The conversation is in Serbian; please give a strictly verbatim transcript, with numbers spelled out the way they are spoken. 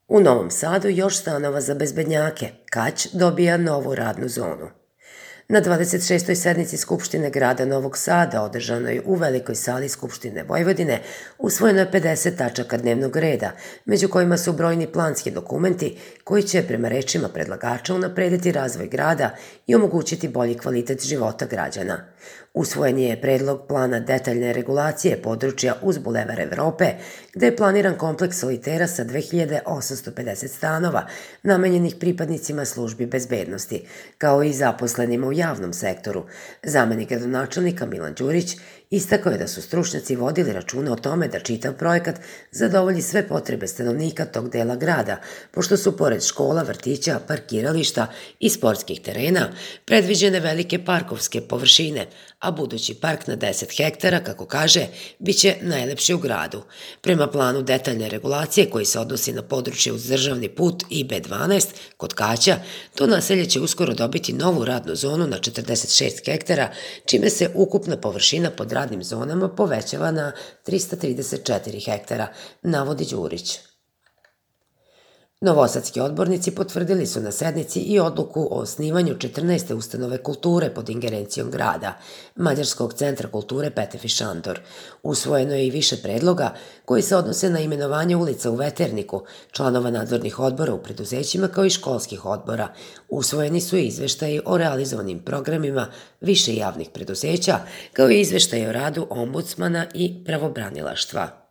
U Novom Sadu još stanova za bezbednjake. Kać dobija novu radnu zonu. Na dvadeset šestoj sednici Skupštine grada Novog Sada, održanoj u Velikoj sali Skupštine Vojvodine, usvojeno je pedeset tačaka dnevnog reda, među kojima su brojni planski dokumenti koji će, prema rečima predlagača, unaprediti razvoj grada i omogućiti bolji kvalitet života građana. Usvojen je predlog plana detaljne regulacije područja uz Bulevar Evrope, gde je planiran kompleks solitera sa dve hiljade osamsto pedeset stanova, namenjenih pripadnicima službi bezbednosti, kao i zaposlenima u javnom sektoru. Zamenik gradonačelnika Milan Đurić istakao je da su stručnjaci vodili računa o tome da čitav projekat zadovolji sve potrebe stanovnika tog dela grada, pošto su pored škola, vrtića, parkirališta i sportskih terena predviđene velike parkovske površine, a budući park na deset hektara, kako kaže, biće najlepši u gradu. Prema planu detaljne regulacije koji se odnosi na područje uz državni put I B dvanaest kod Kaća, to naselje će uskoro dobiti novu radnu zonu na četrdeset šest hektara, čime se ukupna površina pod radnim zonama povećava na trista trideset četiri hektara, navodi Đurić. Novosadski odbornici potvrdili su na sednici i odluku o osnivanju četrnaeste ustanove kulture pod ingerencijom grada, Mađarskog centra kulture Petefi Šandor. Usvojeno je i više predloga koji se odnose na imenovanje ulica u Veterniku, članova nadzornih odbora u preduzećima kao i školskih odbora. Usvojeni su i izveštaji o realizovanim programima više javnih preduzeća, kao i izveštaji o radu ombudsmana i pravobranilaštva.